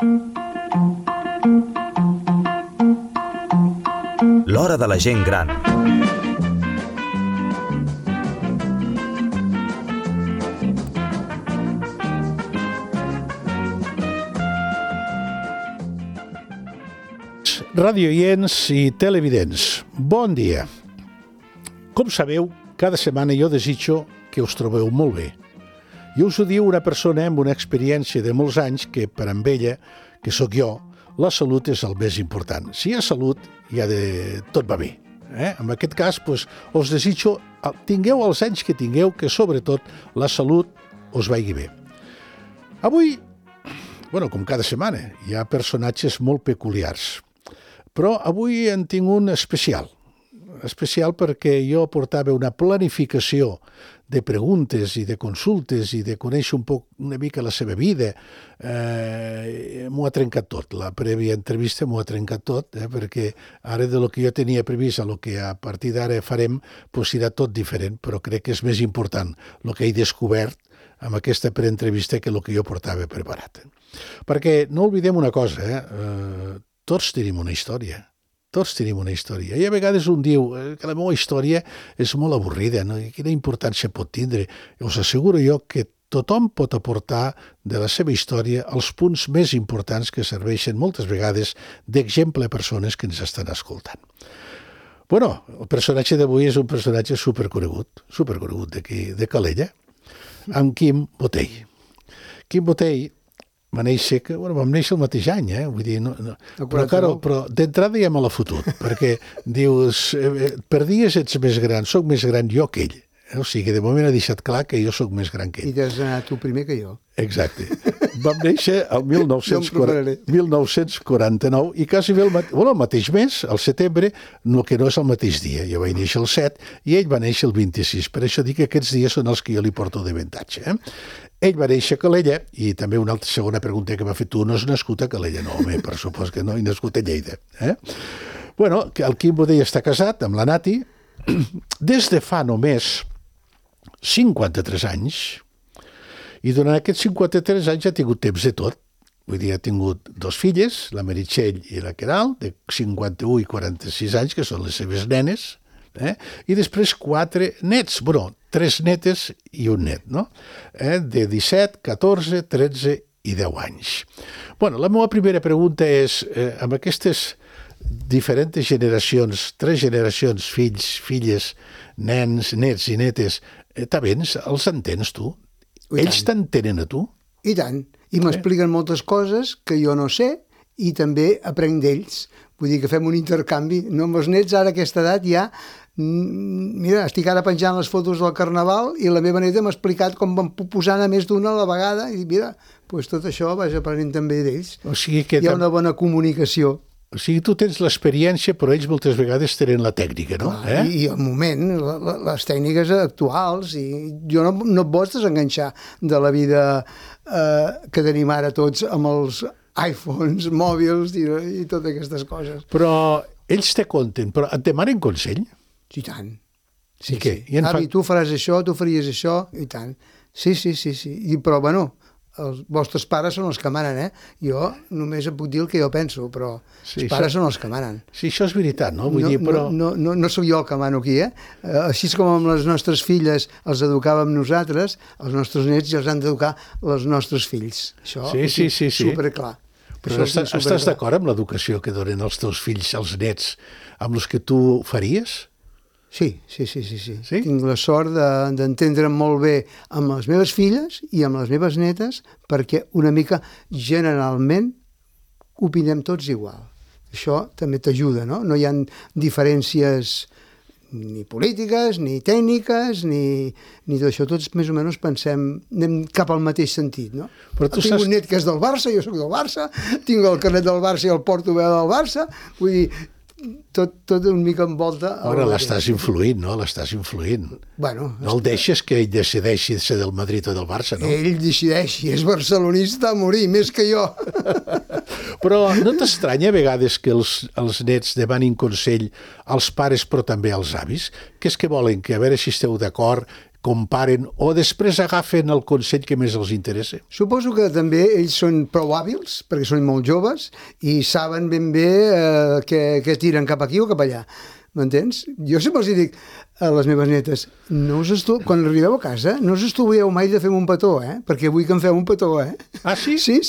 L'hora de la gent gran. Radioients i televidents, bon dia. Com sabeu, cada setmana jo desitjo que us trobeu molt bé. I us ho diu una persona amb una experiència de molts anys que, per amb ella, que sóc jo, la salut és el més important. Si hi ha salut, tot va bé. En aquest cas, us desitjo, tingueu els anys que tingueu, que sobretot la salut us vagi bé. Avui, com cada setmana, hi ha personatges molt peculiars. Però avui en tinc un especial perquè jo portava una planificació de preguntes i de consultes i de conèixer una mica la seva vida. M'ho ha trencat tot, la prèvia entrevista m'ho ha trencat tot, perquè ara de lo que jo tenia previst a lo que a partir d'ara farem, serà tot diferent, però crec que és més important el que he descobert amb aquesta preentrevista que el que jo portava preparat. Perquè no oblidem una cosa, tots tenim una història. Tots tenim una història. I a vegades un diu que la meva història és molt avorrida, no? I quina importància pot tindre? Us asseguro jo que tothom pot aportar de la seva història els punts més importants que serveixen moltes vegades d'exemple a persones que ens estan escoltant. El personatge d'avui és un personatge superconegut d'aquí, de Calella, amb Quim Botey. Quim Botey vam néixer el mateix any, vull dir, però d'entrada ja me l'ha fotut, perquè dius, per dies ets més gran, soc més gran jo que ell. O sigui, de moment ha deixat clar que jo soc més gran que ell. I t'has anat tu primer que jo. Exacte. Vam néixer el 1949 i quasi bé el mateix mes, al setembre, el que no és el mateix dia. Jo vaig néixer el 7 i ell va néixer el 26. Per això dic que aquests dies són els que jo li porto d'avantatge. Ell va néixer a Calella, i també una altra segona pregunta que m'ha fet tu, no has nascut a Calella? No, home, per supost que no, he nascut a Lleida. El Quim Botey està casat amb la Nati des de fa només 53 anys, i durant aquests 53 anys ha tingut temps de tot. Vull dir, ha tingut 2 filles, la Meritxell i la Queralt, de 51 i 46 anys, que són les seves nenes, i després 4 nets, 3 netes i un net, no? De 17, 14, 13 i 10 anys. La meva primera pregunta és, amb aquestes diferents generacions, 3 generacions, fills, filles, nens, nets i netes, els entens tu? Ells t'entenen a tu? I tant. I m'expliquen moltes coses que jo no sé i també aprenc d'ells. Vull dir que fem un intercanvi. No, amb els nets, ara a aquesta edat, ja... Mira, estic ara penjant les fotos del Carnaval i la meva neta m'ha explicat com van posant a més d'una a la vegada i mira, tot això vaig aprenent també d'ells. O sigui que hi ha una bona comunicació. O sigui, tu tens l'experiència, però ells moltes vegades tenen la tècnica, no? I el moment, les tècniques actuals, i jo no et vols desenganxar de la vida que tenim ara tots amb els iPhones, mòbils i totes aquestes coses. Però ells te conten, però et demanen consell? I tant. Sí. Avi, tu faràs això, tu faries això, i tant. Sí. Però, els vostres pares són els que manen, Jo només et puc dir el que jo penso, però els pares són els que manen. Sí, això és veritat, no? Vull dir, però... No sóc jo el que mano aquí, Així com amb les nostres filles els educàvem nosaltres, els nostres nets ja els han d'educar els nostres fills. Això és superclar. Però estàs d'acord amb l'educació que donen els teus fills, els nets, amb els que tu faries? Sí. Tinc la sort d'entendre'm molt bé amb les meves filles i amb les meves netes perquè una mica generalment opinem tots igual. Això també t'ajuda, no? No hi ha diferències ni polítiques, ni tècniques, ni tot això. Tots més o menys anem cap al mateix sentit, no? Tinc un net que és del Barça, jo soc del Barça, tinc el carnet del Barça i el porto bé del Barça, vull dir, tot una mica envolta... Ara l'estàs influint, no? L'estàs influint. No el deixes que ell decideixi ser del Madrid o del Barça, no? Ell decideixi, és barcelonista a morir, més que jo. Però no t'estranya a vegades que els nets demanin consell als pares però també als avis? Que és que volen que a veure si esteu d'acord, comparen o després agafen el consell que més els interessa? Suposo que també ells són prou hàbils, perquè són molt joves, i saben ben bé que tiren cap aquí o cap allà. M'entens? Jo sempre els dic a les meves netes, quan arribeu a casa, no us estalvieu mai de fer un petó, perquè vull que em feu un petó, Ah, sí? Sí.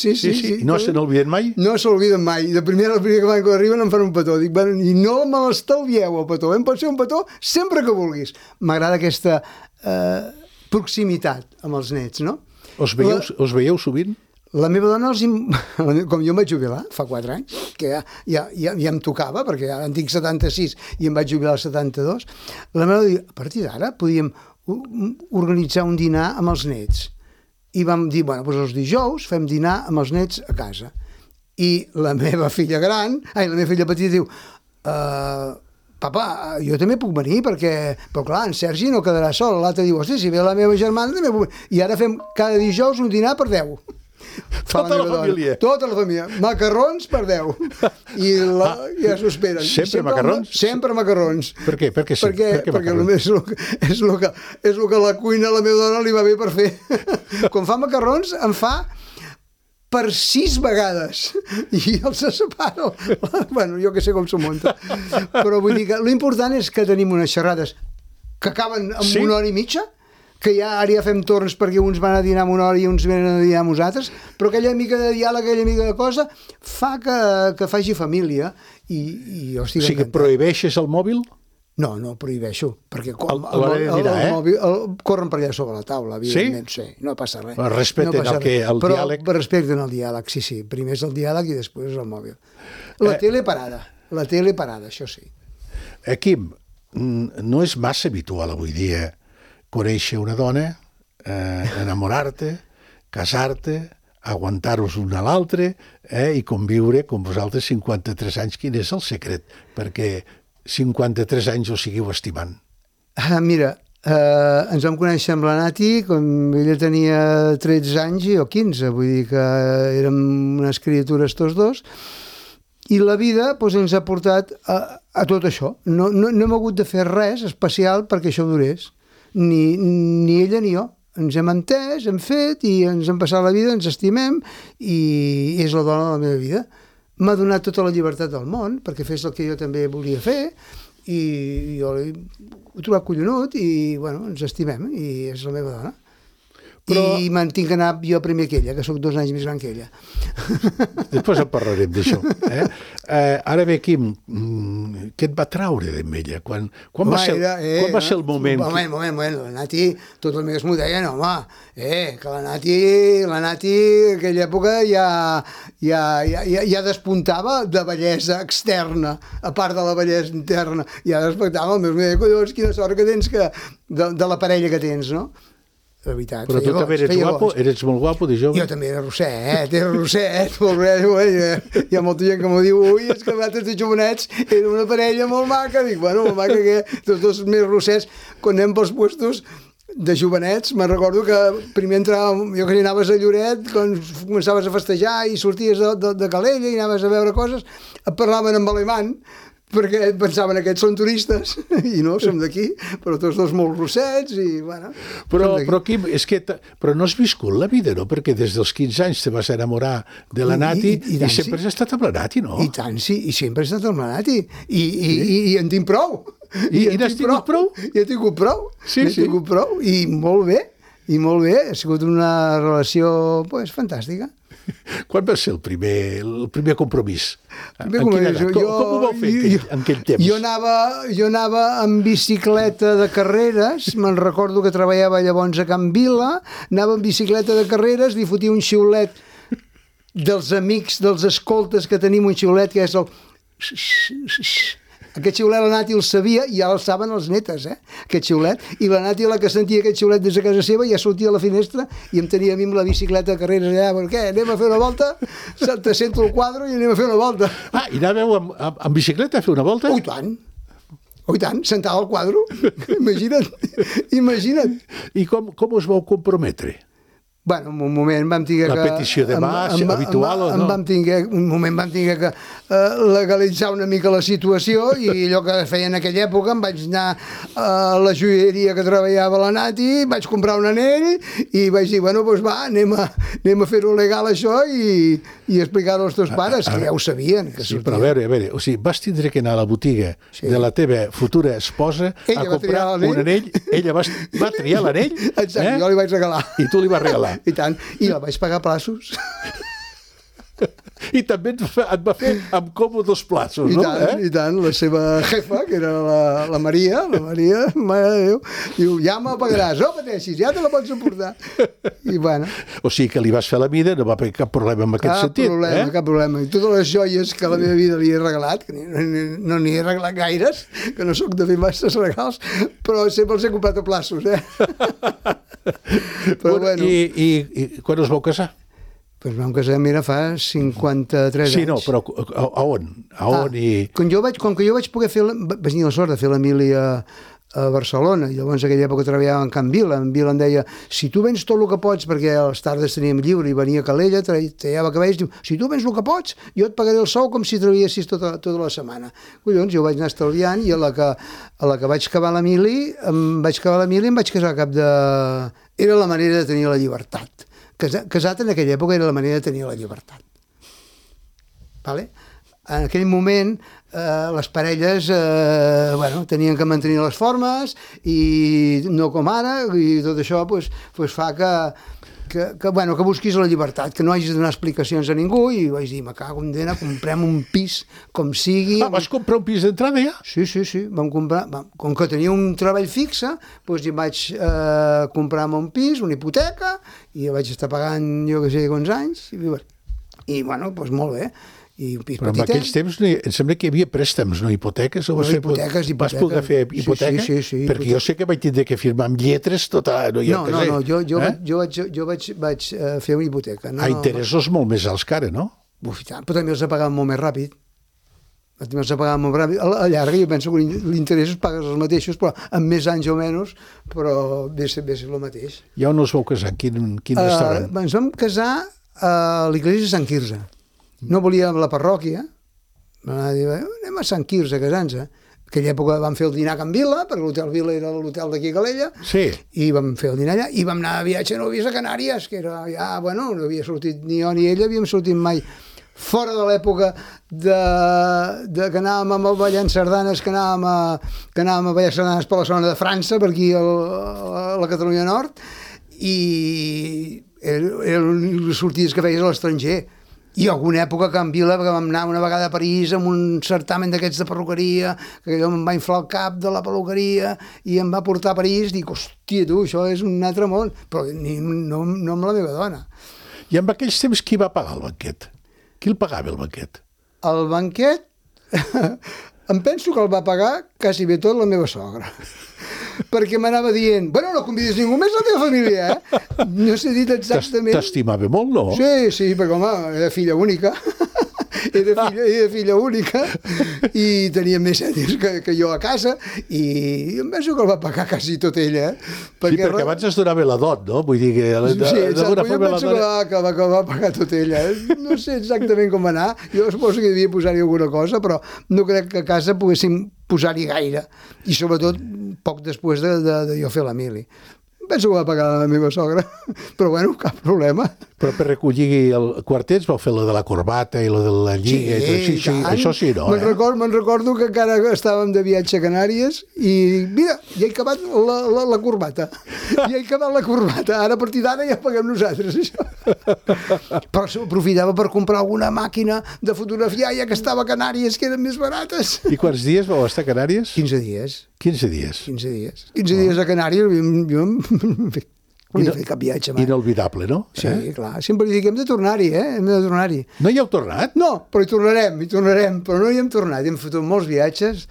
No se n'olviden mai? No s'olviden mai. El primer que arriben em fan un petó. Dic, bueno, i no me l'estalvieu, el petó. Pot ser un petó sempre que vulguis. M'agrada aquesta proximitat amb els nets, no? Us veieu sovint? La meva dona, com jo em vaig jubilar fa 4 anys, que ja em tocava, perquè ara en tinc 76 i em vaig jubilar als 72, la meva dona diu, a partir d'ara podíem organitzar un dinar amb els nets. I vam dir, bueno, doncs els dijous fem dinar amb els nets a casa. I la meva filla petita diu, papa, jo també puc venir, però clar, en Sergi no quedarà sol. L'altre diu, hosti, si ve la meva germana també puc venir. I ara fem cada dijous un dinar per 10. Tota la família. Tota la família. Macarrons per 10. I ja s'ho esperen. Sempre macarrons? Sempre macarrons. Per què? Per què Perquè és el que a la cuina a la meva dona li va bé per fer. Quan fa macarrons, en fa per 6 vegades. I els separa. Bueno, jo que sé com s'ho munta. Però vull dir que l'important és que tenim unes xerrades que acaben amb 1 hora i mitja, que ara ja fem torns perquè uns van a dinar una hora i uns venen a dinar amb nosaltres, però aquella mica de diàleg, aquella mica de cosa, fa que faci família i jo estic encantat. O sigui, prohibeixes el mòbil? No prohibeixo, perquè el mòbil corren per allà sobre la taula, evidentment, sí, no passa res. Respecten el diàleg? Però respecten el diàleg, sí, primer és el diàleg i després el mòbil. La tele parada, això sí. Quim, no és massa habitual avui dia conèixer una dona, enamorar-te, casar-te, aguantar-vos un a l'altre i conviure com vosaltres 53 anys. Quin és el secret? Perquè 53 anys us siguiu estimant. Mira, ens vam conèixer amb la Nati quan ella tenia 13 anys i jo 15, vull dir que érem unes criatures tots dos, i la vida ens ha portat a tot això. No hem hagut de fer res especial perquè això durés. Ni ella ni jo. Ens hem entès, hem fet i ens hem passat la vida, ens estimem i és la dona de la meva vida. M'ha donat tota la llibertat del món perquè fes el que jo també volia fer i jo l'he trobat collonut i bueno, ens estimem i és la meva dona. I me'n tinc que anar jo primer que ella, que sóc 2 anys més gran que ella. Després en parlarem d'això. Ara bé, Quim, què et va traure d'en ella? Quan va ser el moment? Moment. La Nati, tots els meus m'ho deien, home, que la Nati aquella època ja despuntava de bellesa externa, a part de la bellesa interna. Ja despuntava, el meu deia, collons, quina sort que tens de la parella que tens, no? De veritat. Però tu també eres molt guapo de jove? Jo també era rosset, molt bé. Hi ha molta gent que m'ho diu, ui, és que vosaltres de jovenets era una parella molt maca. Dic, bueno, molt maca que tots dos més rossets, quan anem pels puestos de jovenets, me'n recordo que primer entràvem, jo que anaves a Lloret, quan començaves a festejar i sorties de Calella i anaves a veure coses, et parlaven en alemany, perquè pensaven que aquests són turistes i no, som d'aquí, però tots dos molt rossets i bueno... Però Quim, però no has viscut la vida, no? Perquè des dels 15 anys te vas enamorar de la Nati i sempre has estat amb la Nati, no? I tant, sí, i sempre he estat amb la Nati i en tinc prou. I n'has tingut prou? I he tingut prou, tingut prou i molt bé, ha sigut una relació fantàstica. Quan va ser el primer compromís? Com ho vau fer en aquell temps? Jo anava amb bicicleta de carreres, me'n recordo que treballava llavors a Can Vila, anava amb bicicleta de carreres, li fotia un xiulet dels amics, dels escoltes que tenim, un xiulet que és el... Aquest xiulet la Nati el sabia i ja el saben els netes, aquest xiulet. I la Nati, la que sentia aquest xiulet des de casa seva, ja sortia a la finestra i em tenia a mi amb la bicicleta de carreres allà. Per què? Anem a fer una volta? Te sento el quadre i anem a fer una volta. I anàveu amb bicicleta a fer una volta? Oh, i tant, sentada al quadre. Imagina't. I com us vau comprometre? Bueno, en un moment vam tenir que... La petició de mà, habitual o no? Un moment vam tenir que legalitzar una mica la situació i allò que feia en aquella època em vaig anar a la joieria que treballava a la Nati, vaig comprar un anell i vaig dir, bueno, doncs va, anem a fer-ho legal això i explicar-ho als teus pares, que ja ho sabien. Que sí, però a veure, o sigui, vas tindre que anar a la botiga de la teva futura esposa a comprar un anell, ella va triar l'anell, exacte, jo li vaig regalar. I tu li vas regalar. I tant, i la vaig pagar a plaços. I també et va fer amb còmodes plaços, no? I tant, la seva jefa, que era la Maria, mare de Déu, diu, ja me pagaràs, no pateixis, ja te la pots suportar. I bueno. O sigui que li vas fer la mida, no va haver cap problema en aquest sentit. Cap problema. I totes les joies que a la meva vida li he regalat, que no n'hi he regalat gaires, que no sóc de fer masses regals, però sempre els he comprat a plaços, Però bueno. I quan us vau casar? Doncs vam casar, mira, fa 53 anys. Sí, no, però a on? Com que jo vaig poder fer... Vaig tenir la sort de fer la mili a Barcelona, i llavors en aquella època treballava en Can Vila. En Vila em deia, si tu vens tot el que pots, perquè a les tardes teníem lliure i venia a Calella, tallava cabells, diu, si tu vens el que pots, jo et pagaré el sou com si treballessis tota la setmana. Collons, jo vaig anar estalviant i a la que vaig acabar la mili, em vaig casar a cap de... Era la manera de tenir la llibertat. Casat en aquella època era la manera de tenir la llibertat. Vale? En aquell moment les parelles tenien que mantenir les formes i no com ara, i tot això fa que busquis la llibertat, que no hagis de donar explicacions a ningú, i vaig dir, me cago en dena, comprem un pis com sigui. Vas comprar un pis d'entrada ja? Sí, vam comprar, com que tenia un treball fixe, doncs hi vaig comprar-me un pis, una hipoteca, i vaig estar pagant jo que sé quants anys, i bueno, doncs molt bé. I un pis però petitet. En aquells temps em sembla que hi havia préstecs, no hipoteques? Hipoteques. Vas poder fer hipoteca? Sí. Perquè jo sé que vaig tindre que firmar amb lletres tota... No, jo vaig fer una hipoteca. A interessos molt més alts que ara, no? Uf, i tant, però també els pagaven molt més ràpid. A la llarga jo penso que l'interès es pagues els mateixos, però amb més anys o menys, però ve ser el mateix. I on us vau casar? Quin restaurant? Ens vam casar a l'església de Sant Quirze. No volíem la parròquia, vam dir, anem a Sant Quirze a casar-nos. En aquella època vam fer el dinar a Can Vila, perquè l'hotel Vila era l'hotel d'aquí a Calella, i vam fer el dinar allà, i vam anar a viatge a Novies a Canàries, que era ja, no havia sortit ni jo ni ella, havíem sortit mai fora de l'època que anàvem a ballar sardanes, que anàvem a ballar sardanes per la zona de França, per aquí a la Catalunya Nord, i eren les sortides que feies a l'estranger. I alguna època a Can Vila, que vam anar una vegada a París amb un certamen d'aquests de perruqueria, que allò em va inflar el cap de la perruqueria i em va portar a París, dic, hòstia, tu, això és un altre món, però no amb la meva dona. I en aquells temps qui va pagar el banquet? Qui el pagava, el banquet? El banquet, em penso que el va pagar quasi bé tot la meva sogra. Perquè m'anava dient, bueno, no convidis ningú més a la teva família, No s'ha dit exactament... T'estimava molt, no? Sí, perquè, home, era filla única. Era filla única i tenia més ètics que jo a casa, i em penso que el va pagar quasi tot ella. Perquè abans es donava la dot, no? Vull dir que... Sí, exacte, jo penso que va pagar tot ella. No sé exactament com va anar, jo suposo que devia posar-hi alguna cosa, però no crec que a casa poguéssim posar-hi gaire, i sobretot poc després de jo fer la mili. Penso que va pagar la meva sogra, però bueno, cap problema. Però per recollir el quartet vau fer la de la corbata i la de la lliga i tot. Sí, això sí, no? Me'n recordo que encara estàvem de viatge a Canàries i mira, ja he acabat la corbata. Ara a partir d'ara ja paguem nosaltres, això. Però aprofitava per comprar alguna màquina de fotografiar ja que estava a Canàries, que eren més barates. I quants dies vau estar a Canàries? 15 dies. 15 dies? 15 dies. 15 dies a Canàries, jo no he fet cap viatge mai. Inolvidable, no? Sí, clar. Sempre li dic, hem de tornar-hi, hem de tornar-hi. No hi heu tornat? No, però hi tornarem, però no hi hem tornat. Hem fotut molts viatges,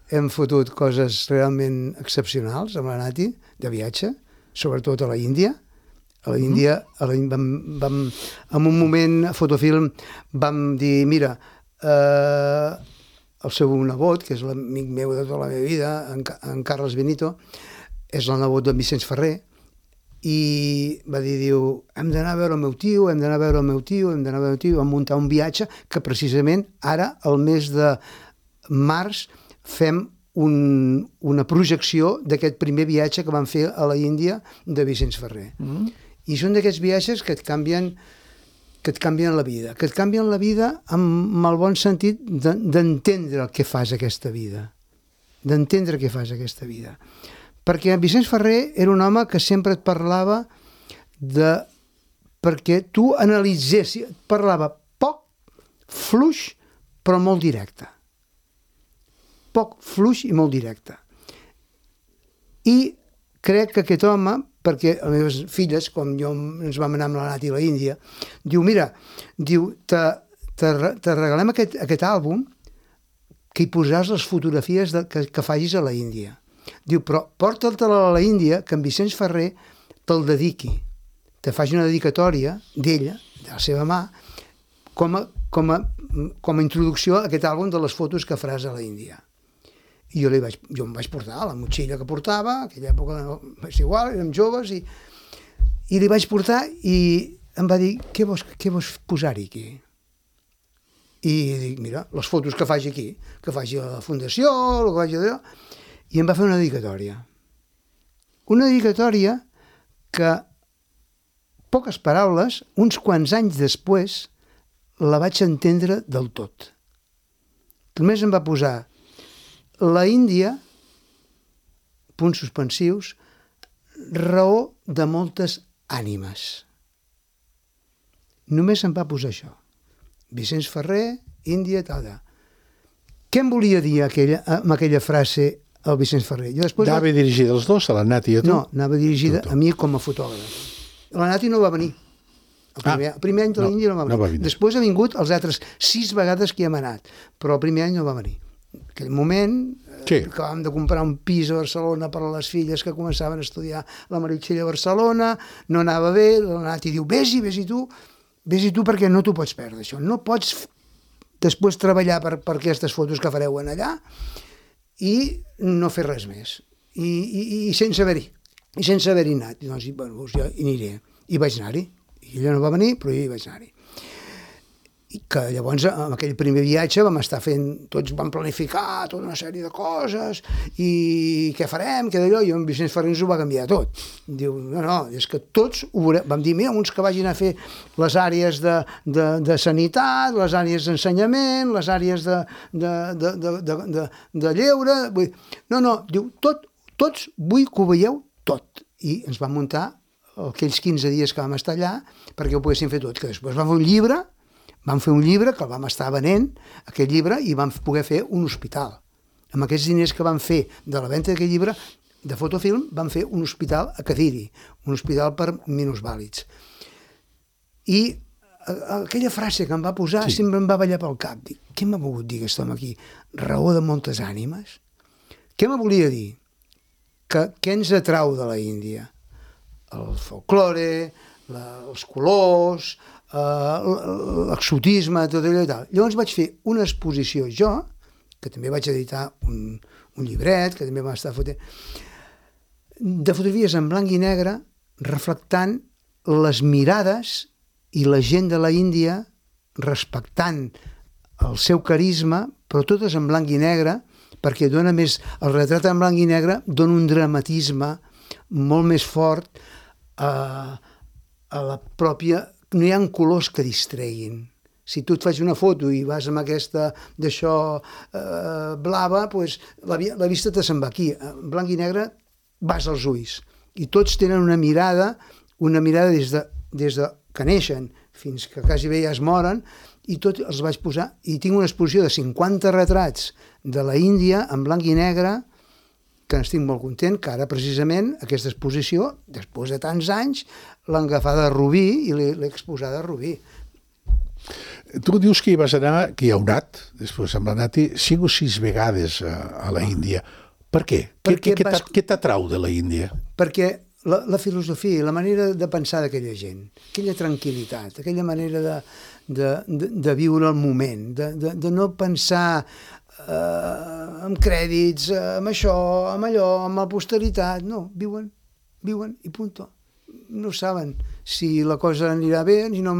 hem fotut coses realment excepcionals amb la Nati, de viatge, sobretot a la Índia. A la Índia, en un moment, a Fotofilm, vam dir, mira, el seu nebot, que és l'amic meu de tota la meva vida, en Carles Benito, és el nebot d'en Vicenç Ferrer, i va dir, diu, hem d'anar a veure el meu tio, hem d'anar a veure el meu tio, hem d'anar a veure el tio, vam muntar un viatge que precisament ara, al mes de març, fem una projecció d'aquest primer viatge que vam fer a la Índia de Vicenç Ferrer. I són d'aquests viatges que et canvien la vida, que et canvien la vida amb el bon sentit d'entendre el que fas aquesta vida, d'entendre què fas aquesta vida. Perquè Vicenç Ferrer era un home que sempre et parlava perquè tu analitzessis, parlava poc, fluix, però molt directe. Poc, fluix i molt directe. I crec que aquest home, perquè les meves filles, com jo ens vam anar amb la Nati a la Índia, diu, mira, diu, te regalem aquest àlbum que hi posaràs les fotografies que facis a la Índia. Diu, però porta-te'l a la Índia, que en Vicenç Ferrer te'l dediqui, te faci una dedicatòria d'ella, de la seva mà, com a introducció a aquest àlbum de les fotos que faràs a la Índia. I jo em vaig portar la motxilla que portava, en aquella època és igual, érem joves, i li vaig portar i em va dir, què vols posar-hi aquí? I dic, mira, les fotos que faci aquí, que faci a la fundació, el que faci allò, i em va fer una dedicatòria. Una dedicatòria que, poques paraules, uns quants anys després, la vaig entendre del tot. Només em va posar la Índia, punts suspensius, raó de moltes ànimes. Només em va posar això. Vicenç Ferrer, Índia, tal. Què em volia dir amb aquella frase el Vicenç Ferrer? Anava dirigida als dos, a la Nati i a tu? No, anava dirigida a mi com a fotògraf. La Nati no va venir. El primer any de l'Índia no va venir. Després ha vingut els altres 6 vegades que hi hem anat, però el primer any no va venir. En aquell moment, acabàvem de comprar un pis a Barcelona per a les filles que començaven a estudiar la Meritxell a Barcelona, no anava bé, la Nati diu, vés-hi tu perquè no t'ho pots perdre, això. No pots després treballar per aquestes fotos que fareu en allà i no fer res més. I sense haver-hi anat. Doncs, bueno, jo hi aniré. I vaig anar-hi. I ella no va venir, però jo hi vaig anar-hi. I que llavors, en aquell primer viatge, tots vam planificar tota una sèrie de coses, i què farem, què d'allò, i en Vicenç Ferrer ens ho va canviar tot. Diu, no, és que tots ho veurem. Vam dir, mira, uns que vagin a fer les àrees de sanitat, les àrees d'ensenyament, les àrees de lleure. No, diu, tots vull que ho veieu tot. I ens vam muntar aquells 15 dies que vam estar allà perquè ho poguéssim fer tot, que després vam fer un llibre que el vam estar venent, aquest llibre, i vam poder fer un hospital. Amb aquests diners que vam fer de la venda d'aquest llibre, de fotofilm, vam fer un hospital a Cadiri, un hospital per minusvàlids. I aquella frase que em va posar sempre em va ballar pel cap. Dic, què m'ha volgut dir aquest home aquí? Raó de moltes ànimes? Què me volia dir? Què ens atrau de la Índia? El folklore, els colors, l'exotisme, tot allò i tal. Llavors vaig fer una exposició jo, que també vaig editar un llibret, que també va estar fotent, de fotografies en blanc i negre, reflectant les mirades i la gent de la Índia respectant el seu carisma, però totes en blanc i negre, perquè dona més, el retrat en blanc i negre dona un dramatisme molt més fort a la pròpia... No hi ha colors que distreguin. Si tu et faig una foto i vas amb aquesta d'això blava, doncs la vista te se'n va aquí. En blanc i negre vas als ulls. I tots tenen una mirada des de que neixen fins que quasi bé ja es moren, i tots els vaig posar. I tinc una exposició de 50 retrats de la Índia en blanc i negre, que n'estic molt content, que ara precisament aquesta exposició, després de tants anys, l'han agafada a Rubí i l'he exposada a Rubí. Tu dius que hi vas anar, que hi heu anat, després amb la Nati, 5 o 6 vegades a la Índia. Per què? Què t'atrau de la Índia? Perquè la filosofia, la manera de pensar d'aquella gent, aquella tranquil·litat, aquella manera de viure el moment, de no pensar amb crèdits, amb això, amb allò, amb la posteritat. No, viuen i punto. no saben si la cosa anirà bé, si no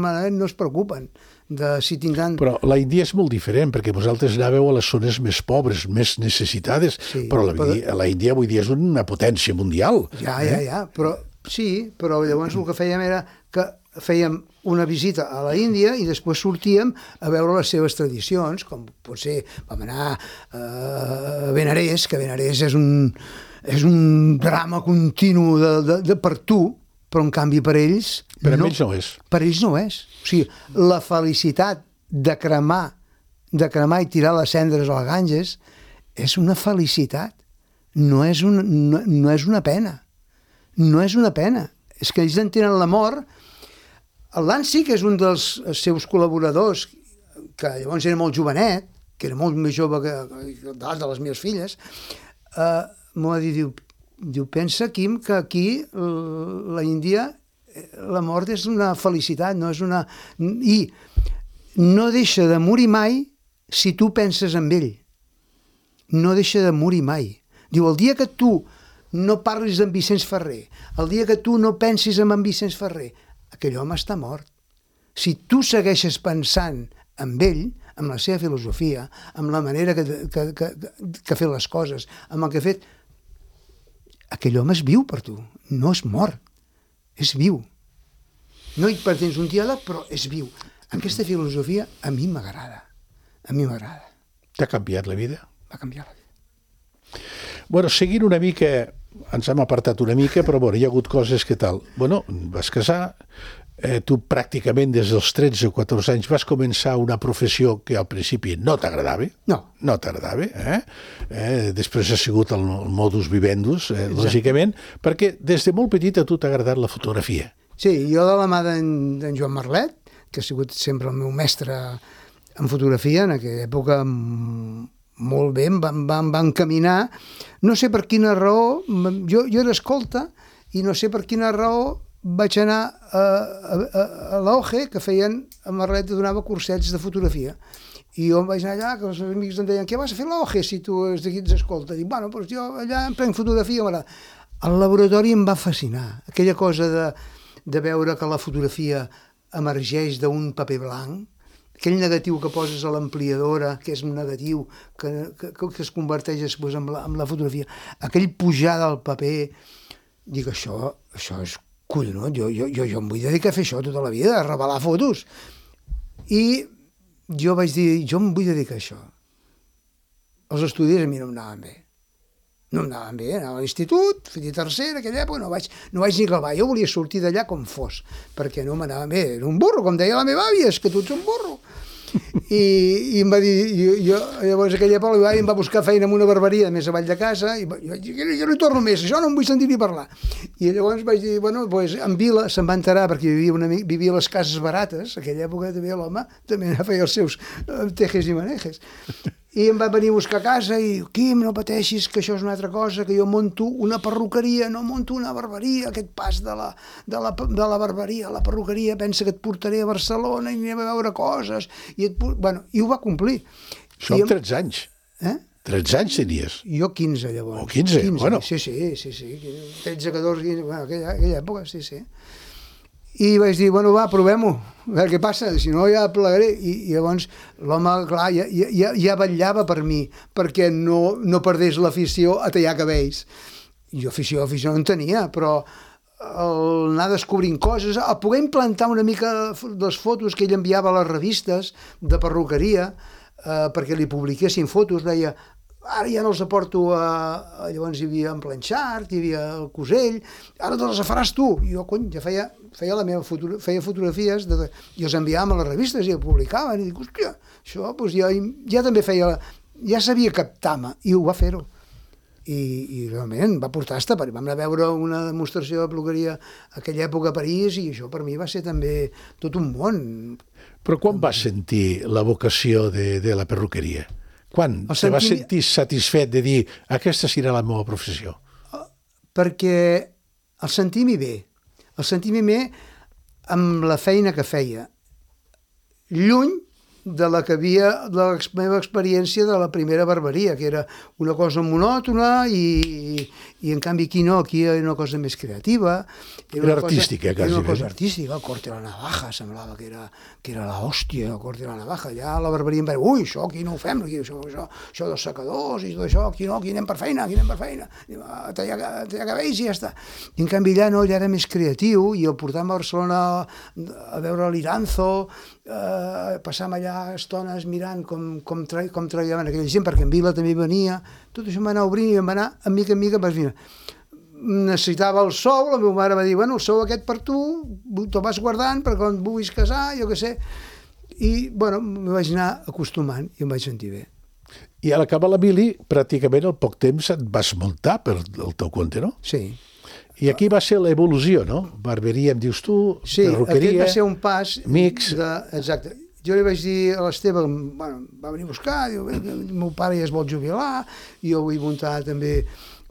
es preocupen de si tindran... Però la Índia és molt diferent, perquè vosaltres anàveu a les zones més pobres, més necessitades, però la Índia avui dia és una potència mundial. Ja, però sí, però llavors el que fèiem era que fèiem una visita a la Índia i després sortíem a veure les seves tradicions, com pot ser, vam anar a Benarés, que Benarés és un drama continu per tu, però en canvi per ells... Per a ells no és. Per ells no és. O sigui, la felicitat de cremar i tirar les cendres a la Ganges és una felicitat, no és una pena. No és una pena. És que ells entenen la mort. El Lancy, que és un dels seus col·laboradors, que llavors era molt jovenet, que era molt més jove que de les meves filles, m'ho va dir, diu, pensa, Quim, que aquí la Índia la mort és una felicitat, no és una... I no deixa de morir mai si tu penses en ell. No deixa de morir mai. Diu, el dia que tu no parlis d'en Vicenç Ferrer, el dia que tu no pensis en Vicenç Ferrer, aquell home està mort. Si tu segueixes pensant en ell, amb la seva filosofia, amb la manera que ha fet les coses, amb el que ha fet, aquell home és viu per tu, no és mort. És viu. No hi pretens un diàleg, però és viu. Aquesta filosofia a mi m'agrada. A mi m'agrada. T'ha canviat la vida? Va canviar la vida. Bueno, seguint una mica, ens hem apartat una mica, però bueno, hi ha hagut coses que tal. Bueno, vas casar, tu pràcticament des dels 13 o 14 anys vas començar una professió que al principi no t'agradava. No t'agradava. Després ha sigut el modus vivendus, lògicament, perquè des de molt petita a tu t'ha agradat la fotografia. Sí, jo de la mà d'en Joan Marlet, que ha sigut sempre el meu mestre en fotografia, en aquella època molt bé, em va encaminar. No sé per quina raó, jo era escolta, i no sé per quina raó vaig anar a l'OGE, que feien, a Marlet donava cursets de fotografia. I jo vaig anar allà, que els amics em deien, què vas a fer a l'OGE si tu ets d'aquí ets escolta? Dic, bueno, doncs jo allà em prenc fotografia, m'agrada. El laboratori em va fascinar, aquella cosa de veure que la fotografia emergeix d'un paper blanc, aquell negatiu que poses a l'ampliadora, que és un negatiu que es converteix després en la fotografia, aquell pujar del paper, dic, això és collonut, jo em vull dedicar a fer això tota la vida, a revelar fotos. I jo vaig dir, jo em vull dedicar a això. Els estudis a mi no em anaven bé. No em anaven bé, anava a l'institut, feia tercera, aquella època, no vaig ni clavar. Jo volia sortir d'allà com fos, perquè no m'anaven bé. Era un burro, com deia la meva àvia, és que tu ets un burro. I em va dir, llavors aquella època em va buscar feina en una barberia més avall de casa, i jo no hi torno més, això no em vull sentir ni parlar. I llavors vaig dir, bueno, doncs en Vila se'n va enterar, perquè vivia a les cases barates, aquella època també l'home també feia els seus tejes i manejes. I em va venir a buscar a casa i diu, Quim, no pateixis, que això és una altra cosa, que jo monto una perruqueria, no monto una barberia, aquest pas de la barberia a la perruqueria, pensa que et portaré a Barcelona i anem a veure coses. I ho va complir. Això amb 13 anys. 13 anys tenies? Jo 15, llavors. O 15, bueno. Sí. 13, 14, 15, bueno, aquella època, sí. I vaig dir, bueno, va, provem-ho, a veure què passa, si no ja plegaré. I llavors l'home, clar, ja vetllava per mi, perquè no perdés l'afició a tallar cabells. Jo afició no en tenia, però anar descobrint coses, a poder implantar una mica les fotos que ell enviava a les revistes de perruqueria, perquè li publiquessin fotos, deia, ara ja no els aporto llavors hi havia en Planxart, hi havia el Cosell, ara te les faràs tu. I jo, cony, ja feia fotografies i els enviàvem a les revistes i el publicaven, i dic, hòstia, això doncs ja també ja sabia captar-me, i ho va fer-ho. I realment va portar hasta París. Vam anar a veure una demostració de perruqueria a aquella època a París, i això per mi va ser també tot un món. Però quan vas sentir la vocació de la perruqueria? Quan te vas sentir satisfet de dir aquesta serà la meva professió? Perquè el sentir-m'hi bé amb la feina que feia, lluny de la que havia, de la meva experiència de la primera barberia, que era una cosa monòtona i en canvi aquí no, aquí era una cosa més creativa. Era artística, quasi. Era una cosa artística, el corte de la navaja, semblava que era l'hòstia, el corte de la navaja. Allà a la barberia em va dir, ui, això aquí no ho fem, això dels secadors i tot això, aquí no, aquí anem per feina, tallar cabells i ja està. I en canvi allà no, allà era més creatiu i el portàvem a Barcelona a veure l'Iranzo, passàvem allà estones mirant com treballaven aquella gent, perquè en Vila també venia, tot això em va anar obrint i em va anar, a mica en mica, necessitava el sou, la meva mare va dir, bueno, el sou aquest per tu, te'l vas guardant per quan vulguis casar, jo què sé, i, bueno, me vaig anar acostumant i em vaig sentir bé. I a l'acabar la mili, pràcticament al poc temps et vas muntar per el teu compte, no? Sí. I aquí va ser l'evolució, no? Barberia, em dius tu, sí, perruqueria... Sí, aquest va ser un pas... Mix... Exacte. Jo li vaig dir a l'Esteve, bueno, va venir a buscar, diu, el meu pare ja es vol jubilar, jo vull muntar també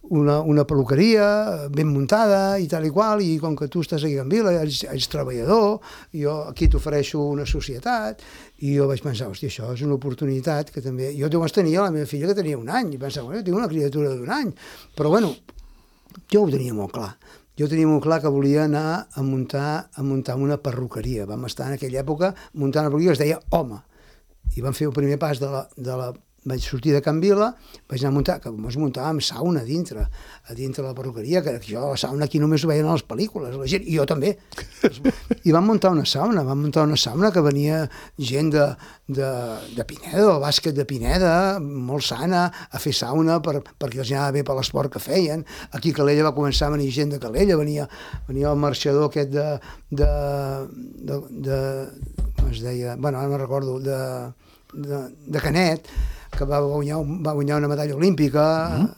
una perruqueria ben muntada i tal i qual, i com que tu estàs aquí a Can Vila, ets treballador, jo aquí t'ofereixo una societat, i jo vaig pensar, hòstia, això és una oportunitat que també... Jo llavors tenia la meva filla que tenia 1 any, i pensava, bueno, tinc una criatura d'1 any, però bueno, jo ho tenia molt clar. Jo tenia molt clar que volia anar a muntar una perruqueria. Vam estar en aquella època muntant una perruqueria que es deia Home. I vam fer el primer pas vaig sortir de Can Vila, vaig anar a muntar, que ens muntàvem sauna a dintre de la perruqueria, que jo la sauna aquí només ho veien a les pel·lícules, la gent, i jo també. I vam muntar una sauna que venia gent de Pineda, del bàsquet de Pineda, molt sana, a fer sauna perquè els anava bé per l'esport que feien. Aquí a Calella va començar a venir gent de Calella, venia el marxador aquest com es deia, bueno, ara no recordo, de Canet, que va guanyar una medalla olímpica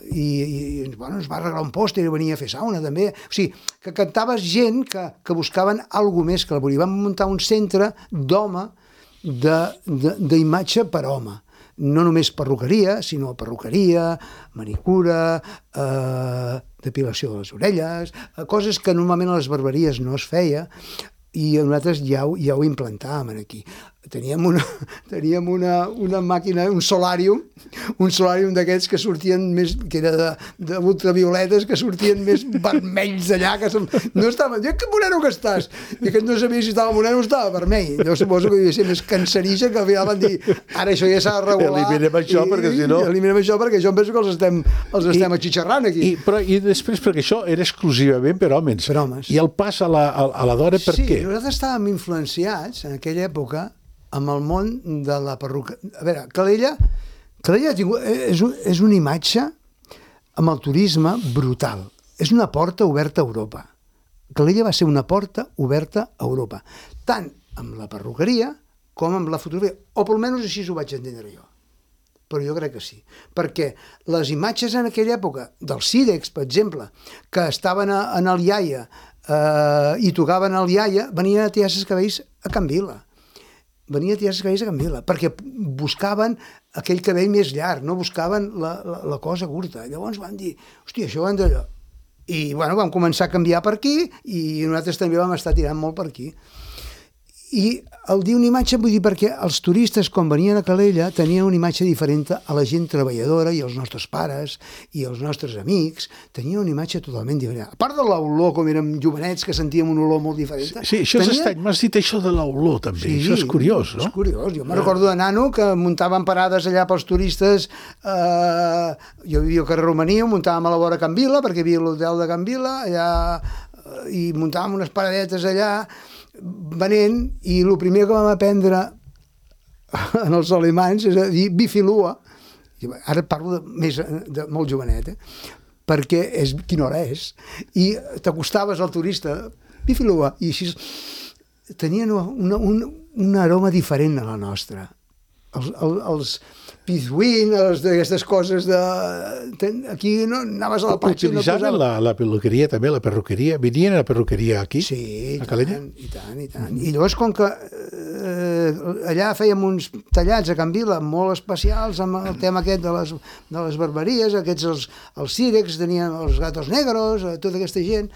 i bueno, ens va regalar un pòster i venia a fer sauna també. O sigui, que cantaves gent que buscaven alguna més que la volia. Vam muntar un centre d'home, d'imatge per home. No només perruqueria, sinó perruqueria, manicura, depilació de les orelles, coses que normalment a les barberies no es feia, i nosaltres ja ho implantàvem aquí. Teníem una màquina, un solàrium d'aquests que sortien més, que era d'ultravioletes, que sortien més vermells d'allà, que no estaven, que moreno que estàs! I que no sabia si estava moreno o estava vermell. Jo suposo que devia ser més cancerigen, que al final van dir, ara això ja s'ha de regular. Eliminem això, perquè si no... Eliminem això, perquè jo em penso que els estem atxitxarrant aquí. I després, perquè això era exclusivament per homes. Per homes. I el pas a la dona, per què? Sí, nosaltres estàvem influenciats en aquella època amb el món de la perruca. A veure, Calella és una imatge amb el turisme brutal. És una porta oberta a Europa. Calella va ser una porta oberta a Europa, tant amb la perruqueria com amb la fotografia, o almenys així ho vaig entendre jo. Però jo crec que sí, perquè les imatges en aquella època del Cirex, per exemple, que estaven en el iaia i tocaven el iaia, venien a tirar-se els cabells a Can Vila. Perquè buscaven aquell cabell més llarg, no buscaven la cosa curta. Llavors van dir, hòstia, això van d'allò. I bueno, vam començar a canviar per aquí i nosaltres també vam estar tirant molt per aquí. I el dir una imatge, vull dir, perquè els turistes, quan venien a Calella, tenien una imatge diferent a la gent treballadora i els nostres pares i els nostres amics, tenien una imatge totalment diferent. A part de l'olor, com érem jovenets, que sentíem una olor molt diferent. Sí, això és estrany, m'has dit això de l'olor, també. Sí, això és curiós, no? És curiós. Jo me'n recordo de nano que muntaven parades allà pels turistes. Jo vivia al carrer Romania, muntàvem a la vora Can Vila, perquè hi havia l'hotel de Can Vila, allà, i muntàvem unes paradetes allà, venent, i el primer que vam aprendre en els alemanys és a dir bifilua. Ara parlo de molt jovenet, perquè quina hora és, i t'acostaves al turista, bifilua, i així tenien un aroma diferent a la nostra. Els pizwin, aquestes coses de... Aquí no anaves a la platja... Utilitzaven la perruqueria també, la perruqueria? Venien a la perruqueria aquí? Sí, a Calella? I tant. I llavors, com que allà fèiem uns tallats a Can Vila molt especials amb el tema aquest de les barberies, aquests els Cirex, tenien els Gatos Negros, tota aquesta gent,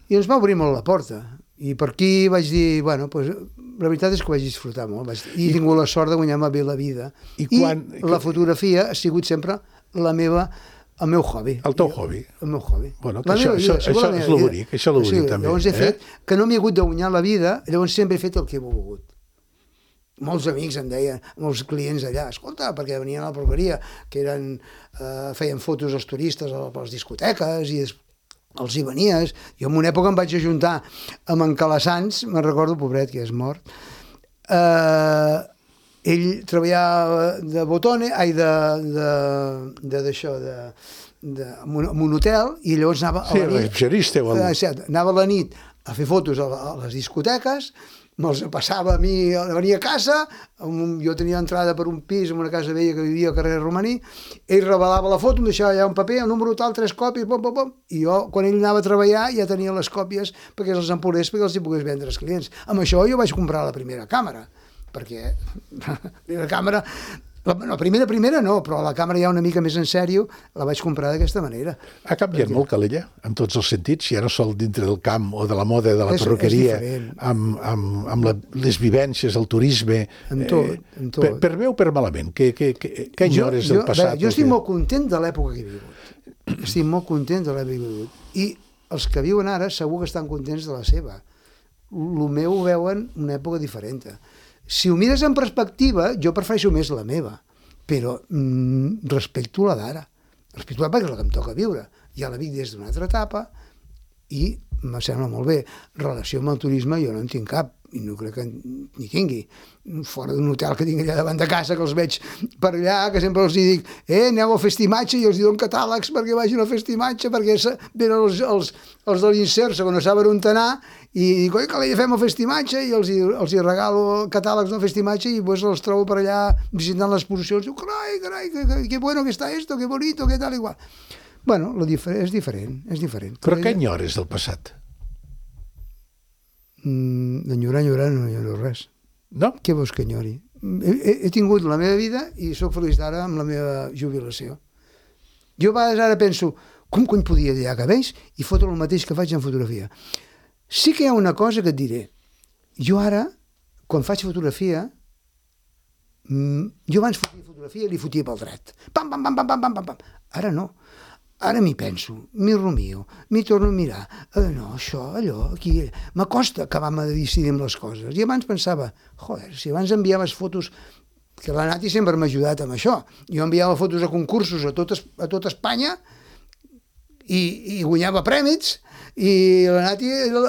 i ens va obrir molt la porta. I per aquí vaig dir, bueno, pues, la veritat és que ho vaig disfrutar molt. I he tingut la sort de guanyar-me bé la vida. I la fotografia ha sigut sempre el meu hobby. El teu hobby. El meu hobby. Bueno, això és lo bonic, això és lo bonic també. Llavors he fet, que no m'he hagut de guanyar la vida, llavors sempre he fet el que he volgut. Molts amics em deien, molts clients allà, escolta, perquè venien a la peluqueria, que feien fotos als turistes a les discoteques i els hi venies. Jo en una època em vaig ajuntar amb en Calassans, me'n recordo, pobret, que és mort. Ell treballava de botone, en un hotel, i llavors anava a la nit. Recepcionista o alguna cosa. Anava a la nit a fer fotos a les discoteques, me'ls passava a mi, venia a casa, jo tenia entrada per un pis en una casa vella que vivia al carrer Romaní, ell revelava la foto, em deixava allà un paper, el número tal, 3 còpies, i jo, quan ell anava a treballar, ja tenia les còpies perquè els empolés, perquè els hi pogués vendre als clients. Amb això jo vaig comprar la primera càmera, perquè la càmera... La primera no, però la càmera ja una mica més en sèrio la vaig comprar d'aquesta manera. Ha canviat molt Calella, en tots els sentits, ja no sol dintre del camp o de la moda, de la perruqueria, amb les vivències, el turisme... En tot. Per bé o per malament? Què enyores del passat? Jo estic molt content de l'època que he viscut. Estic molt content de l'època que he viscut. I els que viuen ara segur que estan contents de la seva. El meu ho veuen una època diferent. Si ho mires en perspectiva, jo prefereixo més la meva, però respecto la d'ara. Respecto la perquè és la que em toca viure. Ja la vic des d'una altra etapa i em sembla molt bé. Relació amb el turisme jo no en tinc cap, i no crec que n'hi tingui. Fora d'un hotel que tinc allà davant de casa, que els veig per allà, que sempre els dic aneu a festimatge, i els dono catàlegs perquè vagin a festimatge, perquè venen els de l'Inserso, que no saben on anar, i dic, oi, que fem el festimatge, i els hi regalo catàlegs del festimatge, i pues els trobo per allà visitant les exposicions, diu, carai, que bueno que està esto, que bonito, que tal, igual. Bueno, és diferent. Però què enyores del passat? Enyorar no enyoro res. No? Què vols que enyori? He tingut la meva vida i sóc feliç d'ara amb la meva jubilació. Jo a vegades ara penso, com cony podia tallar cabells i fotre el mateix que faig en fotografia? Sí que hi ha una cosa que et diré. Jo ara, quan faig fotografia, jo abans fotia fotografia i li fotia pel dret. Pam, pam, pam, pam, pam, pam, pam. Ara no. Ara m'hi penso, m'hi rumio, m'hi torno a mirar. No, això, allò, aquí... M'acosta acabar-me de decidir amb les coses. I abans pensava, joder, si abans enviaves fotos... Que la Nati sempre m'ha ajudat amb això. Jo enviava fotos a concursos a tot Espanya i guanyava prèmits, i la Nati era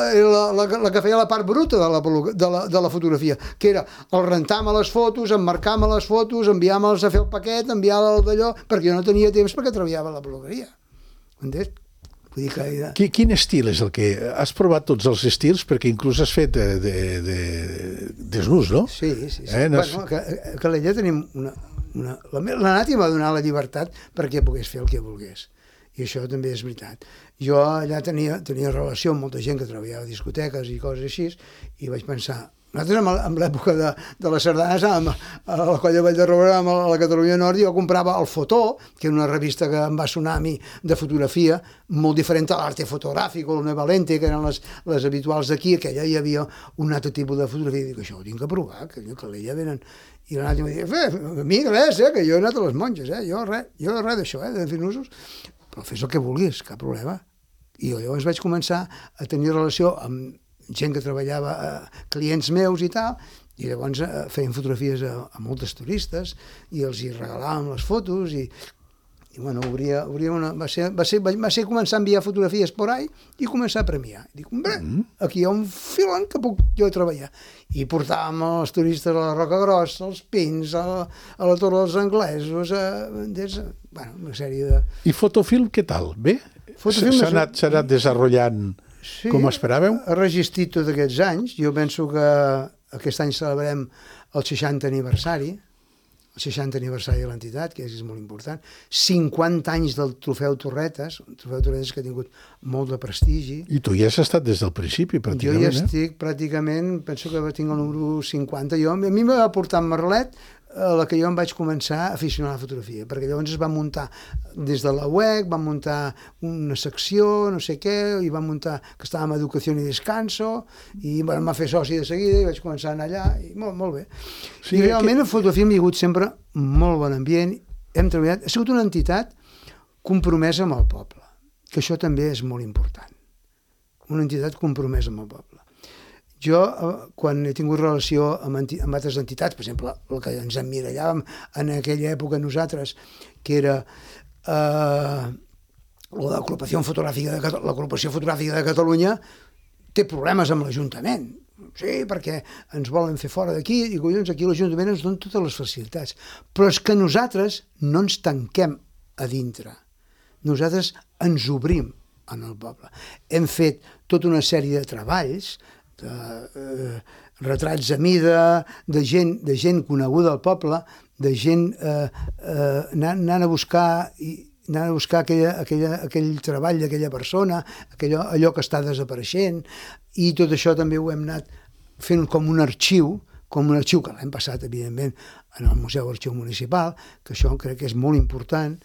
la que feia la part bruta de la fotografia, que era el rentar-me les fotos, emmarcar-me les fotos, enviar-me'ls a fer el paquet, enviar-les d'allò, perquè jo no tenia temps perquè treballava a la peluqueria. Entens? Vull dir que... Quin estil és el que... Has provat tots els estils, perquè inclús has fet desnús, no? Sí. Bueno, a Calella tenim la Nati m'ha donat la llibertat perquè pogués fer el que volgués. I això també és veritat. Jo allà tenia relació amb molta gent que treballava a discoteques i coses així, i vaig pensar... Nosaltres, en l'època de les sardanes, a la Colla Vall de Roure, a la Catalunya Nord, jo comprava el Fotó, que era una revista que em va sonar a mi de fotografia, molt diferent a l'Arte Fotogràfico, el Nueva Lente, que eren les habituals d'aquí, que allà hi havia un altre tipus de fotografia, i dic, això ho tinc que provar, que allà venen... I la Nati em va dir, a mi res, que jo he anat a les monges, jo res d'això, de fer nusos, però fes el que vulguis, cap problema. I jo llavors vaig començar a tenir relació amb gent que treballava, clients meus i tal, i llavors feien fotografies a moltes turistes i els hi regalàvem les fotos i bueno, va ser començar a enviar fotografies por ahí i començar a premiar. Dic, aquí hi ha un filon que puc jo treballar. I portàvem els turistes a la Roca Grossa, als Pins, a la Torre dels Anglesos, bueno, una sèrie de... I Fotofilm, què tal? Bé? S'ha anat desenvolupant com esperàveu? Sí, ha resistit tots aquests anys. Jo penso que aquest any celebrem el 60 aniversari, de l'entitat, que és molt important. 50 anys del Trofeu Torretes, un Trofeu Torretes que ha tingut molt de prestigi. I tu ja has estat des del principi, pràcticament. Jo ja estic pràcticament, penso que tinc el número 50. A mi m'ha portat Merlet a la que jo em vaig començar a aficionar a la fotografia, perquè llavors es va muntar des de la UEC, va muntar una secció, no sé què, i va muntar que estàvem a Educació i Descanso, i em va fer soci de seguida, i vaig començar a anar allà, i molt bé. Sí, i realment la fotografia hem vingut sempre molt bon ambient, hem treballat, ha sigut una entitat compromesa amb el poble, que això també és molt important. Una entitat compromesa amb el poble. Jo, quan he tingut relació amb altres entitats, per exemple, el que ens emmirallàvem en aquella època nosaltres, que era l'Agrupació Fotogràfica de Catalunya, té problemes amb l'Ajuntament. Sí, perquè ens volen fer fora d'aquí, i collons, aquí l'Ajuntament ens dona totes les facilitats. Però és que nosaltres no ens tanquem a dintre. Nosaltres ens obrim en el poble. Hem fet tota una sèrie de treballs, de retrats a mida, de gent coneguda al poble, de gent anant a buscar aquell treball d'aquella persona, allò que està desapareixent, i tot això també ho hem anat fent com un arxiu que l'hem passat, evidentment, en el Museu Arxiu Municipal, que això crec que és molt important,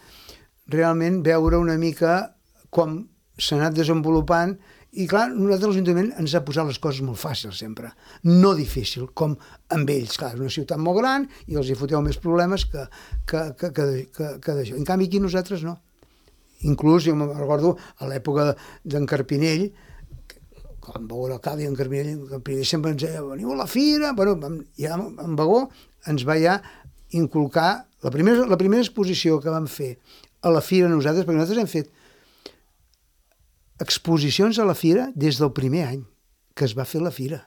realment veure una mica com s'ha anat desenvolupant. I clar, nosaltres l'Ajuntament ens ha posat les coses molt fàcils sempre, no difícil, com amb ells. Clar, és una ciutat molt gran i els hi foteu més problemes que d'això. En canvi, aquí nosaltres no. Inclús, jo me'n recordo, a l'època d'en Carpinell, quan va veure l'alcalde en Carpinell sempre ens deia, veniu a la fira, bueno, ja en Bagó ens va ja inculcar la primera exposició que vam fer a la fira nosaltres, perquè nosaltres hem fet exposicions a la fira des del primer any que es va fer la fira.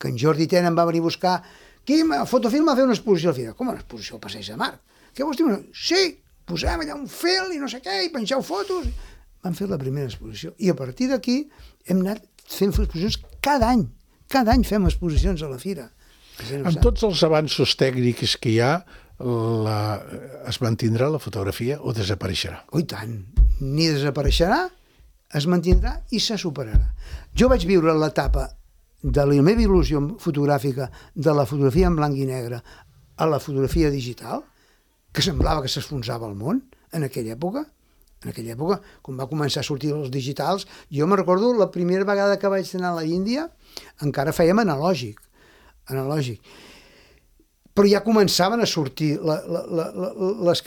Que en Jordi Tena em va venir a buscar. Quim, a Fotofilm va fer una exposició a la fira. Com una exposició al Passeig de Mar? Què vols dir? Sí, posem allà un fil i no sé què, i penjeu fotos. Vam fer la primera exposició. I a partir d'aquí hem anat fent exposicions cada any. Cada any fem exposicions a la fira. Amb tots els avanços tècnics que hi ha, es mantindrà la fotografia o desapareixerà? Oh, i tant. Ni desapareixerà, es mantindrà i se superarà. Jo vaig viure l'etapa de la meva il·lusió fotogràfica de la fotografia en blanc i negre a la fotografia digital, que semblava que s'esfonsava el món en aquella època. En aquella època, quan va començar a sortir els digitals, jo me recordo la primera vegada que vaig anar a la Índia, encara fèiem analògic. Però ja començaven a sortir les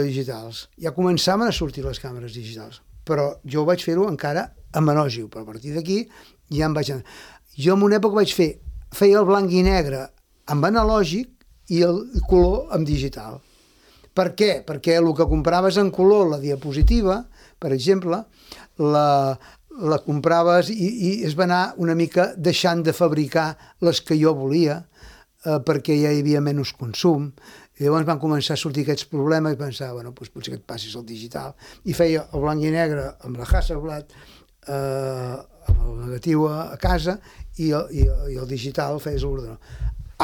digitals. Ja començaven a sortir les càmeres digitals. Però jo vaig fer-ho encara amb analògic, però a partir d'aquí ja em vaig anar. Jo en una època feia el blanc i negre amb analògic i el color amb digital. Per què? Perquè el que compraves en color, la diapositiva, per exemple, la compraves i es va anar una mica deixant de fabricar les que jo volia, perquè ja hi havia menys consum. I llavors van començar a sortir aquests problemes i pensava, bueno, doncs potser que et passis al digital. I feia el blanc i negre amb la Hasselblad, amb el negatiu a casa, i el digital feies a l'ordenador.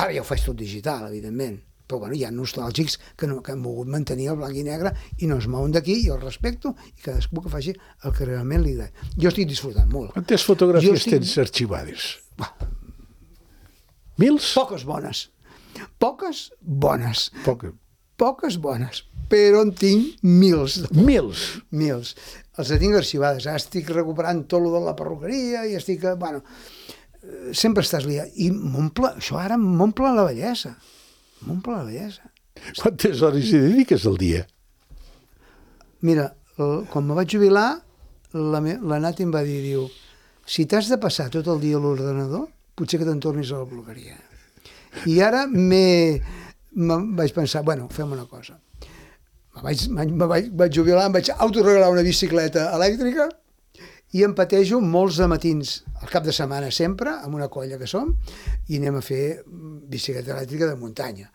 Ara ja ho faig tot digital, evidentment, però bueno, hi ha nostàlgics que han volgut mantenir el blanc i negre i no es mouen d'aquí, i el respecto, i cadascú que faci el que realment li agrada. Jo estic disfrutant molt. Quantes fotografies tens arxivades? Mils? Poques bones. Poques bones, però en tinc mils. Mils. Els tinc arxivades. Ara estic recuperant tot el de la perruqueria i estic... Bueno, sempre estàs liat. I això ara m'omple la bellesa. Quantes hores hi dediques al dia? Mira, quan me vaig jubilar, la Nati em va dir, diu, si t'has de passar tot el dia a l'ordenador, potser que te'n tornis a la perruqueria. I ara vaig pensar, bueno, fem una cosa. Me vaig jubilar, em vaig autoregalar una bicicleta elèctrica i em patejo molts de matins, al cap de setmana sempre, amb una colla que som, i anem a fer bicicleta elèctrica de muntanya.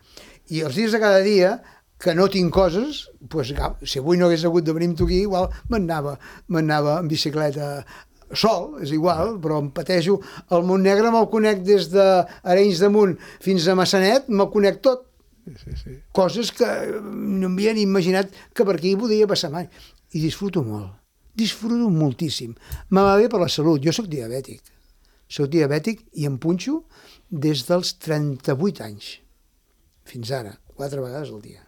I els dies de cada dia, que no tinc coses, doncs, si avui no hagués hagut de venir amb tu aquí, igual m'anava en bicicleta sol, és igual, però em patejo. El Montnegre me'l conec des d'Arenys de Munt fins a Massanet, me'l conec tot. Sí. Coses que no m'havia ni imaginat que per aquí podia passar mai. I disfruto moltíssim. Me va bé per la salut. Jo soc diabètic i em punxo des dels 38 anys. fins ara, 4 vegades al dia.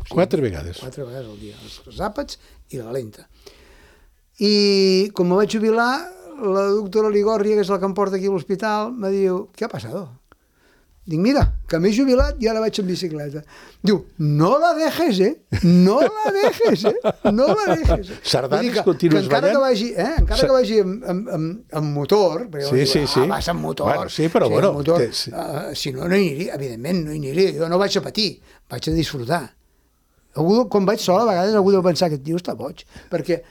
4 vegades? 4 vegades al dia, els àpats i la lenta. I com me vaig jubilar, la doctora Ligòria, que és la que em porta aquí a l'hospital, me diu, què ha passat? Dic, mira, que m'he jubilat i ara vaig en bicicleta. Diu, no la dejes, no la dejes, no la dejes. Sardanes continues ballant? Encara que vagi amb motor, perquè vas amb motor, bueno, sí, però bueno, motor, si no, no hi aniria, evidentment, no hi aniria, jo no vaig a patir, vaig a disfrutar. Quan vaig sol, a vegades algú deu pensar que aquest tio està boig, perquè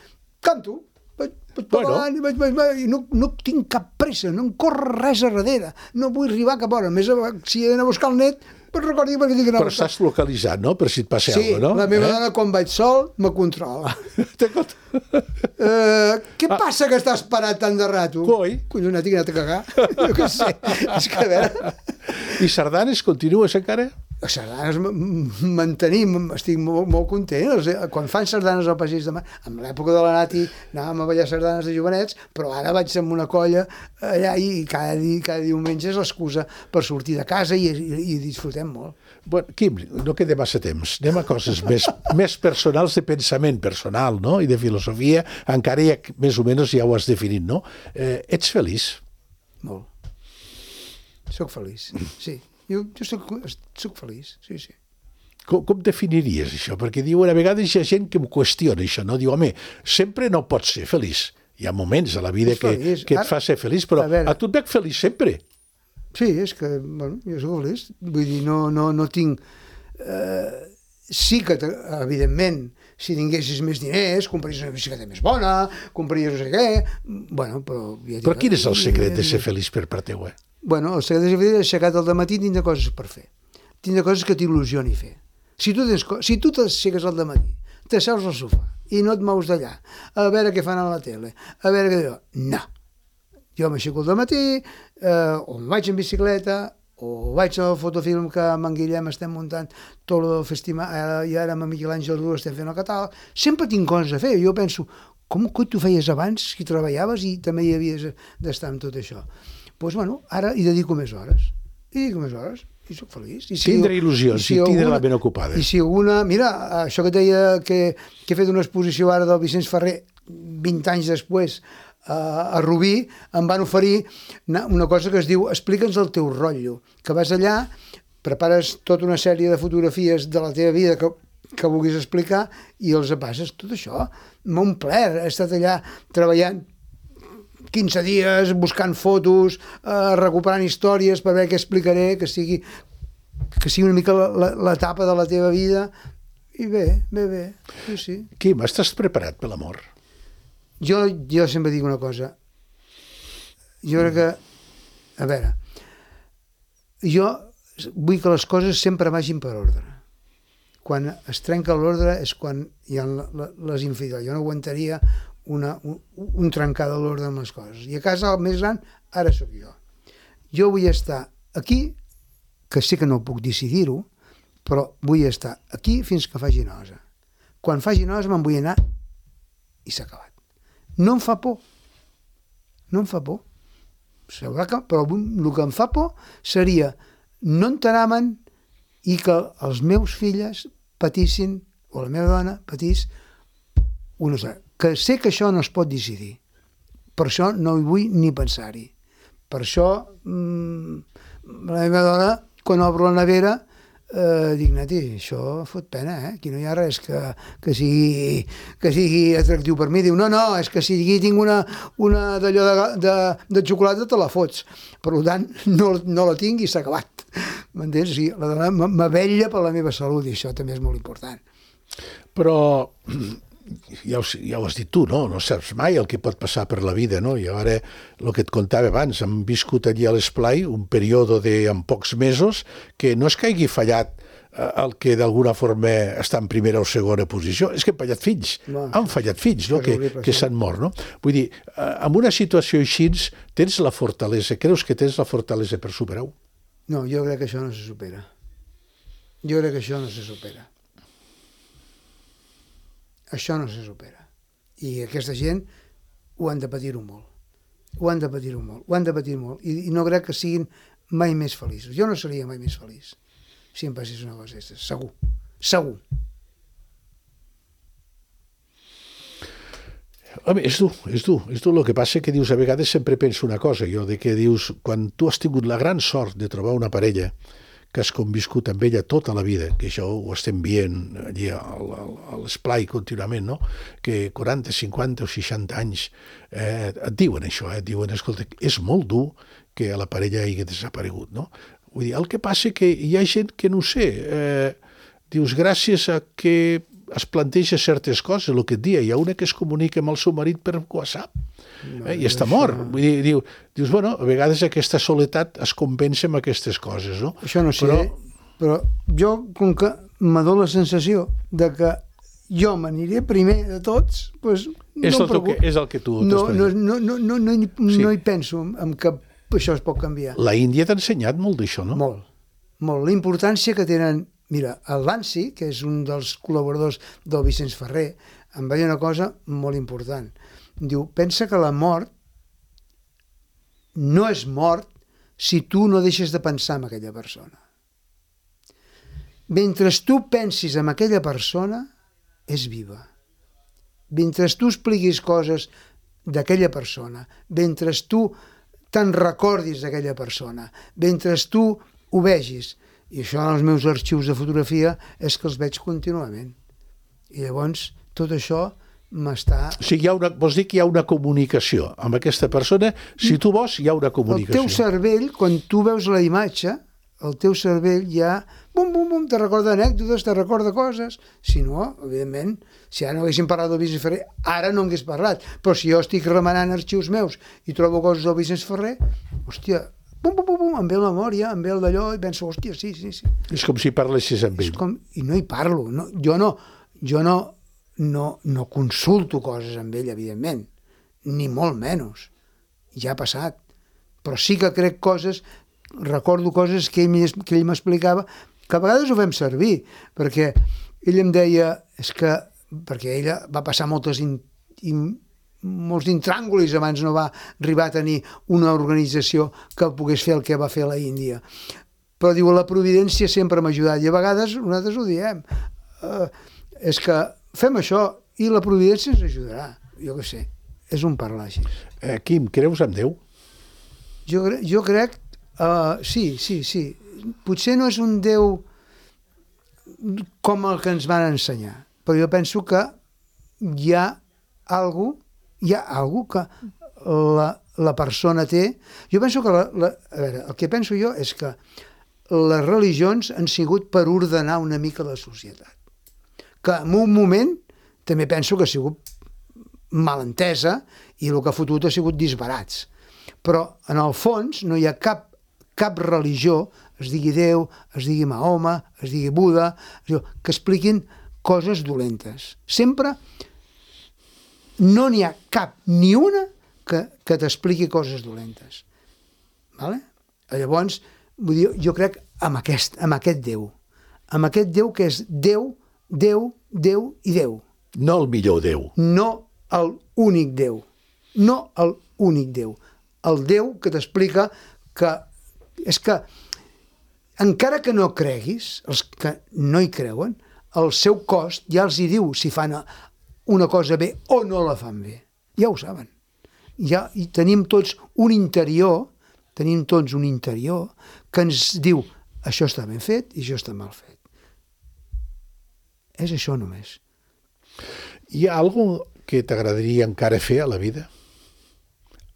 canto, vaig parlant i no tinc cap pressa, no em corre res a darrere, no vull arribar cap hora, més si he d'anar a buscar el net, però recordi perquè tinc que anar a buscar. Però estàs localitzat, no?, per si et passa alguna cosa, no? Sí, la meva dona quan vaig sol me controla. Què passa que estàs parat tant de rato? Coi. Collons, tinc anat a cagar. Jo què sé, és que a veure... I sardanes continues encara? A sardanes mantenim, estic molt content. Quan fan sardanes al Passeig de Mar, en l'època de la Nati anàvem a ballar sardanes de jovenets, però ara vaig amb una colla allà i cada diumenge és l'excusa per sortir de casa i disfrutem molt. Bueno, Quim, no queda massa temps. Anem a coses més personals, de pensament personal, no?, i de filosofia, encara més o menys ja ho has definit, no? Ets feliç? Molt. Soc feliç, sí. Jo soc feliç, sí. Com definiries això? Perquè diuen, a vegades hi ha gent que em qüestiona això, no? Diu, home, sempre no pots ser feliç. Hi ha moments a la vida que et fa ser feliç, però a tu et veig feliç sempre. Sí, és que, bueno, jo soc feliç. Vull dir, no tinc... Sí que, evidentment, si tinguessis més diners, compraries una bicicleta més bona, compraries no sé què... Bueno, però... Però quin és el secret de ser feliç per part teua? Bueno, el secret de ser feliç és aixecat al dematí i tindre coses per fer. Tindre coses que t'il·lusioni fer. Si tu t'aixeques al dematí, t'asseus al sofà i no et mous d'allà, a veure què fan a la tele, a veure què... No. Jo m'aixeco al dematí, o em vaig en bicicleta, o vaig al fotofilm que amb en Guillem estem muntant tot el festival, i ara amb en Miquel Àngel Rua estem fent el catàleg. Sempre tinc coses a fer. Jo penso, com tu feies abans, que treballaves i també hi havies d'estar amb tot això? Doncs, bueno, ara hi dedico més hores. I soc feliç. Tindre il·lusions i tindre la ment ocupada. I si alguna... Mira, això que et deia que he fet una exposició ara del Vicenç Ferrer 20 anys després a Rubí, em van oferir una cosa que es diu explica'ns el teu rotllo, que vas allà, prepares tota una sèrie de fotografies de la teva vida que vulguis explicar i els passes. Tot això m'ha omplert. He estat allà treballant 15 dies, buscant fotos, recuperant històries per veure què explicaré, que sigui una mica l'etapa de la teva vida. I bé. Sí. Quim, estàs preparat per l'amor? Jo sempre dic una cosa. Jo crec que... A veure, jo vull que les coses sempre vagin per ordre. Quan es trenca l'ordre és quan hi ha les infidelitats. Jo no aguantaria un trencar de l'ordre amb les coses. I a casa, el més gran, ara sóc jo. Jo vull estar aquí, que sé que no puc decidir-ho, però vull estar aquí fins que faci nosa. Quan faci nosa me'n vull anar i s'ha acabat. No em fa por. Però el que em fa por seria no enterar-me'n i que els meus filles patissin, o la meva dona patís, que sé que això no es pot decidir. Per això no hi vull ni pensar-hi. Per això la meva dona, quan obro la nevera, dic, Nati, això fot pena, aquí no hi ha res que sigui atractiu per mi. Diu, no, és que si aquí tinc una d'allò de xocolata te la fots. Per tant, no la tinc i s'ha acabat. M'entens? Sí, la dona m'avella per la meva salut i això també és molt important. Però ja ho has dit tu, no? No saps mai el que pot passar per la vida, no? I ara, el que et contava abans, hem viscut allí a l'Esplai un període en pocs mesos que no és que hagi fallat el que d'alguna forma està en primera o segona posició, és que han fallat fills, han fallat fills, no? Que s'han mort, no? Vull dir, en una situació així tens la fortalesa, creus que tens la fortalesa per superar-ho? No, jo crec que això no se supera. Això no se supera. I aquesta gent ho han de patir-ho molt. Ho han de patir molt. I no crec que siguin mai més feliços. Jo no seria mai més feliç. si em passés una cosa d'aquestes, segur. Segur. Home, és dur. El que passa que dius, a vegades sempre penso una cosa, jo, de que dius, quan tu has tingut la gran sort de trobar una parella que has conviscut amb ella tota la vida, que això ho estem veient allí a l'esplai contínuament, no? Que 40, 50 o 60 anys et diuen això, et diuen, escolta, és molt dur que la parella hagi desaparegut, no? Vull dir, el que passa que hi ha gent que, no ho sé, dius, gràcies a que es planteja certes coses, el que et dia, hi ha una que es comunica amb el seu marit per WhatsApp i està mort. Vull dir, dius, bueno, a vegades aquesta soledat es compensa amb aquestes coses, no? Això no sé, però jo, com que m'ha donat la sensació de que jo m'aniré primer de tots, doncs és el que tu no hi penso en que això es pot canviar. La Índia t'ha ensenyat molt d'això, no? Molt. La importància que tenen. Mira, el Bansi, que és un dels col·laboradors del Vicenç Ferrer, em va dir una cosa molt important. Diu, pensa que la mort no és mort si tu no deixes de pensar en aquella persona. Mentre tu pensis en aquella persona, és viva. Mentre tu expliquis coses d'aquella persona, mentre tu te'n recordis d'aquella persona, mentre tu ho vegis. I això en els meus arxius de fotografia és que els veig contínuament. I llavors tot això m'està... O sigui, vols dir que hi ha una comunicació amb aquesta persona? Si tu vols, hi ha una comunicació. El teu cervell, quan tu veus la imatge, el teu cervell ja... Bum, bum, bum, te recorda anècdotes, te recorda coses. Si no, evidentment, si ara no haguéssim parlat del Vicenç Ferrer, ara no hagués parlat. Però si jo estic remenant arxius meus i trobo coses del Vicenç Ferrer, hòstia... Bum, bum, bum, em ve la memòria, em ve el d'allò, i penso, hòstia, sí. És com si parlessis amb ell. I no hi parlo. Jo no consulto coses amb ell, evidentment, ni molt menys. Ja ha passat. Però sí que crec coses, recordo coses que ell m'explicava, que a vegades ho fem servir, perquè ell em deia, perquè ella va passar molts intràngulis abans no va arribar a tenir una organització que pogués fer el que va fer a la Índia. Però diu, la providència sempre m'ha ajudat, i a vegades nosaltres ho diem. És que fem això i la providència ens ajudarà. Jo què sé, és un parlar així. Quim, creus en Déu? Jo crec... Sí. Potser no és un Déu com el que ens van ensenyar, però jo penso que hi ha alguna que la persona té. Jo penso que a veure, el que penso jo és que les religions han sigut per ordenar una mica la societat, que en un moment també penso que ha sigut mal entesa i el que ha fotut ha sigut disbarats, però en el fons no hi ha cap religió, es digui Déu, es digui Mahoma, es digui Buda, que expliquin coses dolentes. Sempre no n'hi ha cap ni una que t'expliqui coses dolentes. Vale? Llavors, vull dir, jo crec en aquest Déu. En aquest Déu que és Déu, Déu, Déu i Déu. No el millor Déu. No l'únic Déu. No l'únic Déu. El Déu que t'explica que és que encara que no creguis, els que no hi creuen, el seu cost ja els hi diu si fan una cosa bé o no la fan bé. Ja ho saben. Ja tenim tots un interior que ens diu això està ben fet i això està mal fet. És això només. Hi ha alguna cosa que t'agradaria encara fer a la vida?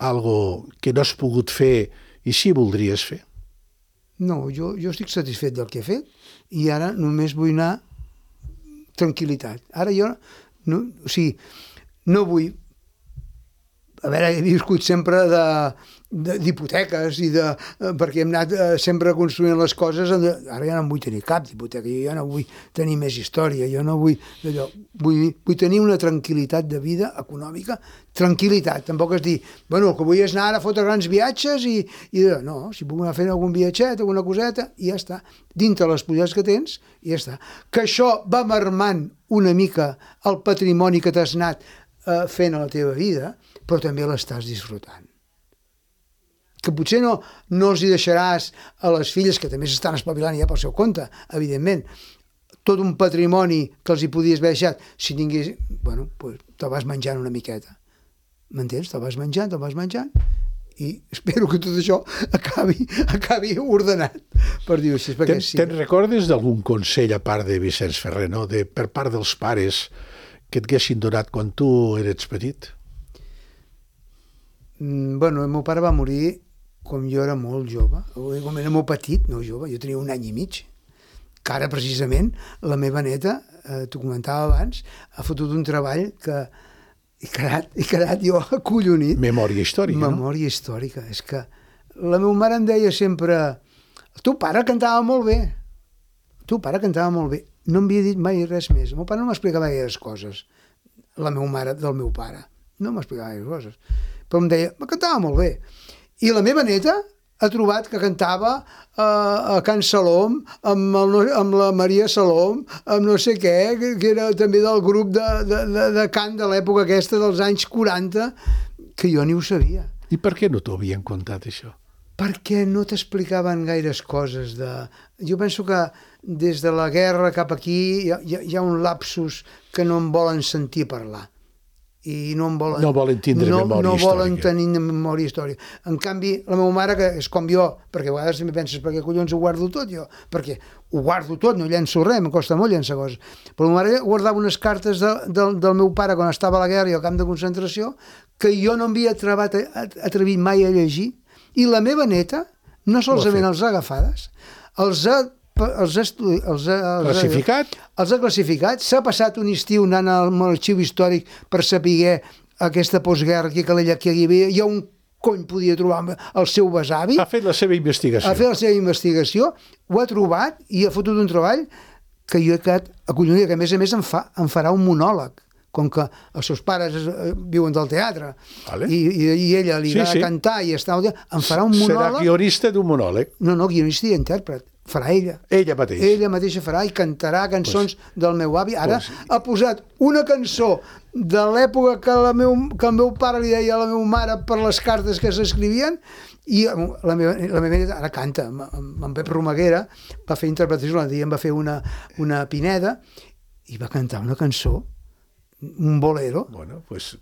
Algo que no has pogut fer i sí voldries fer? No, jo estic satisfet del que he fet i ara només vull anar tranquil·litat. Ara jo no vull... A veure, he viscut sempre d'hipoteques i perquè hem anat sempre construint les coses. Ara ja no vull tenir cap d'hipoteca, jo ja no vull tenir més història, jo no vull d'allò. Vull tenir una tranquil·litat de vida econòmica, tranquil·litat. Tampoc és dir, bueno, el que vull és anar ara a fotre grans viatges i no, si puc anar fent algun viatget, alguna coseta, i ja està. Dintre les possibilitats que tens, i ja està. Que això va mermant una mica el patrimoni que t'has anat fent a la teva vida, però també l'estàs disfrutant. que potser no els hi deixaràs a les filles, que també s'estan espavilant ja pel seu compte, evidentment, tot un patrimoni que els hi podies haver deixat, si tingués... Bueno, doncs te'l vas menjant una miqueta. M'entens? Te'l vas menjant, i espero que tot això acabi ordenat, per dir-ho així. Te'n recordes d'algun consell, a part de Vicenç Ferrer, no? Per part dels pares, que et haguessin donat quan tu eres petit? Bueno, el meu pare va morir quan jo era molt jove, quan era molt petit, no jove, jo tenia 1 any i mig, que ara precisament la meva neta, t'ho comentava abans, ha fotut un treball que he quedat jo acollonit. Memòria històrica, no? Memòria històrica. És que la meva mare em deia sempre: el teu pare cantava molt bé. No em havia dit mai res més. El meu pare no m'explicava gaires coses. La meva mare del meu pare. No m'explicava gaires coses. Però em deia, cantava molt bé. I la meva neta ha trobat que cantava a Can Salom, amb la Maria Salom, amb no sé què, que era també del grup de cant de l'època aquesta dels anys 40, que jo ni ho sabia. I per què no t'ho havien contat, això? Perquè no t'explicaven gaires coses. Jo penso que des de la guerra cap aquí hi ha un lapsus que no em volen sentir parlar. I no volen tindre memòria històrica. No volen tenir memòria històrica. En canvi, la meva mare, que és com jo, perquè a vegades també penses, per què collons ho guardo tot jo? Perquè ho guardo tot, no llenço res, em costa molt llençar coses. Però la meva mare guardava unes cartes del meu pare quan estava a la guerra i al camp de concentració que jo no m'havia atrevit mai a llegir, i la meva neta no solament els ha agafades, els ha classificat, s'ha passat un estiu anant a l'arxiu històric per saber aquesta postguerra que hi havia, i on cony podia trobar el seu besavi. Ha fet la seva investigació. Ho ha trobat i ha fotut un treball que jo he quedat acollonit, que a més em farà un monòleg, com que els seus pares viuen del teatre, i ella li va cantar i està... Em farà un monòleg... Serà guionista d'un monòleg. No, guionista i intèrpret. Farà ella. Ella mateixa. Ella mateixa farà i cantarà cançons del meu avi. Ara ha posat una cançó de l'època que el meu pare li deia a la meva mare per les cartes que s'escrivien, i la meva neta ara canta. En Pep Romaguera va fer interpretació, l'altre dia em va fer una Pineda i va cantar una cançó, un bolero,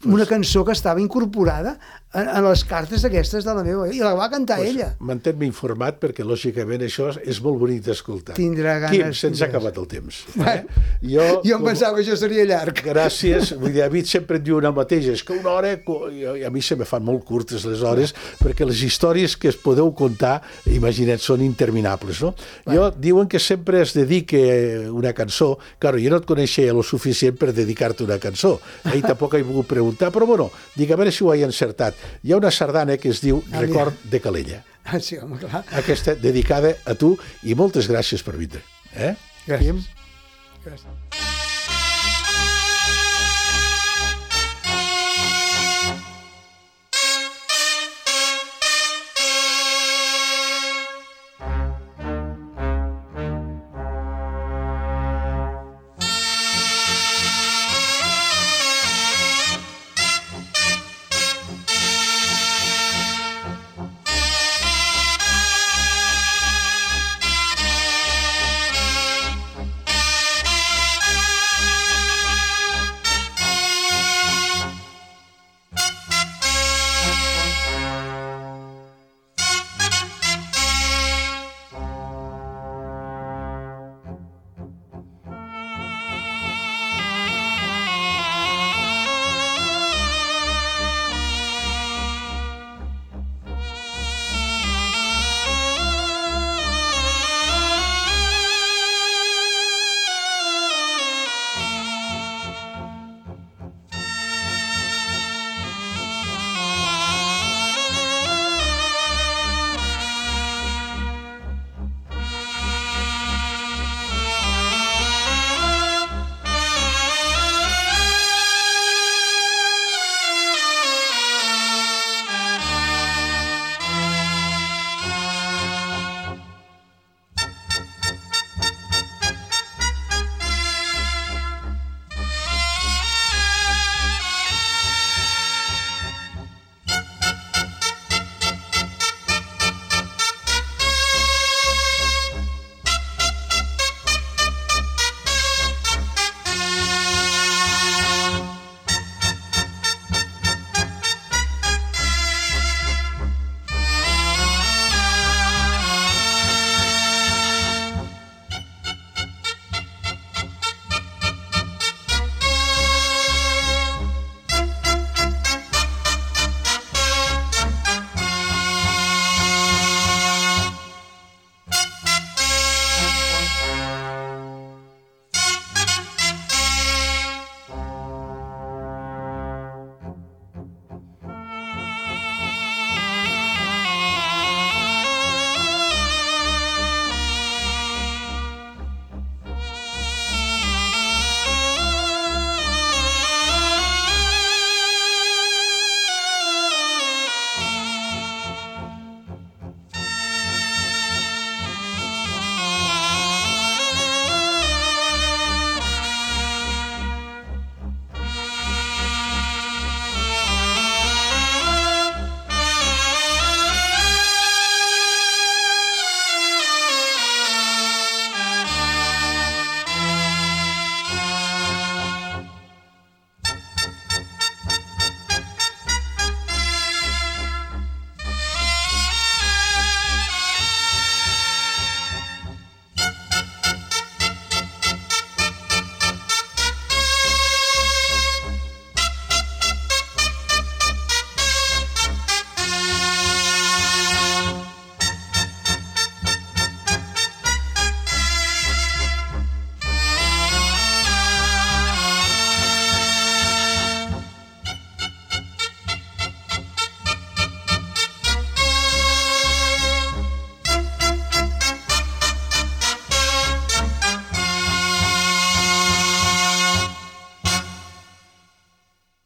una cançó que estava incorporada en les cartes aquestes de la meva, i la va cantar ella. Mantén-me informat, perquè lògicament això és molt bonic d'escoltar. Tindrà ganes. Quim, se'ns ha acabat el temps. Jo em pensava que això seria llarg. Gràcies. David sempre et diu una mateixa, és que una hora, i a mi se me fan molt curtes les hores, perquè les històries que es podeu contar, imagina't, són interminables, no? Diuen que sempre es dedica una cançó. Claro, jo no et coneixia lo suficient per dedicar-te una cançó. Ahir tampoc he volgut preguntar, però bueno, dic, a veure si ho he encertat. Hi ha una sardana que es diu Record de Calella. Sí, home, clar. Aquesta dedicada a tu, i moltes gràcies per vindre. Gràcies.